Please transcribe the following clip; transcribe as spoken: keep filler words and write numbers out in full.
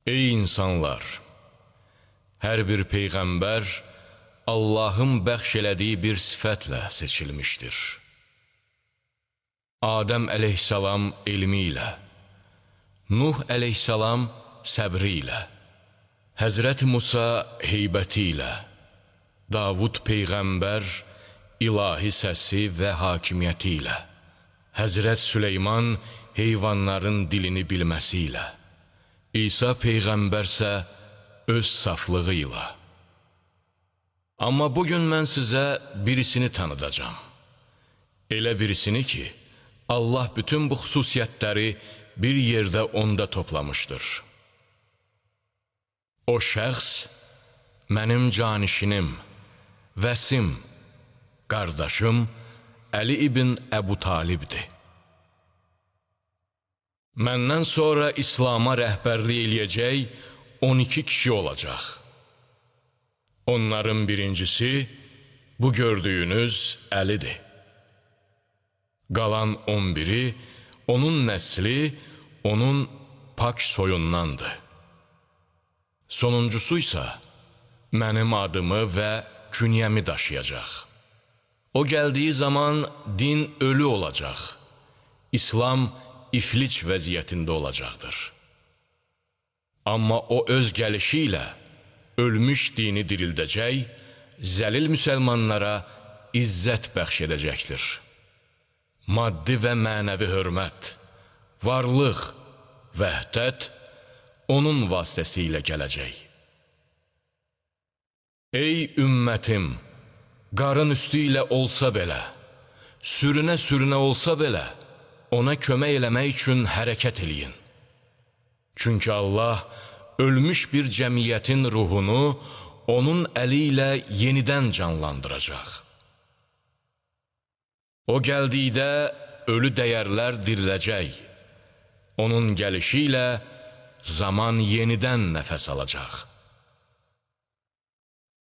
Ey insanlar! Hər bir peyğəmbər Allahın bəxş elədiyi bir sifətlə seçilmişdir. Adəm əleyhissalam elmi ilə, Nuh əleyhissalam səbri ilə, Həzrət Musa heybəti ilə, Davud peyğəmbər ilahi səsi və hakimiyyəti ilə, Həzrət Süleyman heyvanların dilini bilməsi ilə, İsa peyğəmbərsə öz saflığı ilə. Amma bugün mən sizə birisini tanıdacam. Elə birisini ki, Allah bütün bu xüsusiyyətləri bir yerdə onda toplamışdır. O şəxs mənim canişinim, vəsim, qardaşım Əli ibn Əbu Talibdir. Məndən sonra İslama rəhbərlik eləyəcək on iki kişi olacaq. Onların birincisi bu gördüyünüz Əlidir. Qalan on biri onun nəsli, onun pak soyundandır. Sonuncusu isə mənim adımı və künyəmi daşıyacaq. O gəldiyi zaman din ölü olacaq. İslam iflic vəziyyətində olacaqdır. Amma o öz gəlişi ilə ölmüş dini dirildəcək, zəlil müsəlmanlara izzət bəxş edəcəkdir. Maddi və mənəvi hörmət, varlıq, vəhdət onun vasitəsilə gələcək. Ey ümmətim! Qarın üstü ilə olsa belə, sürünə-sürünə olsa belə, ona kömək eləmək üçün hərəkət eləyin. Çünki Allah ölmüş bir cəmiyyətin ruhunu onun əli ilə yenidən canlandıracaq. O gəldikdə ölü dəyərlər diriləcək. Onun gəlişi ilə zaman yenidən nəfəs alacaq.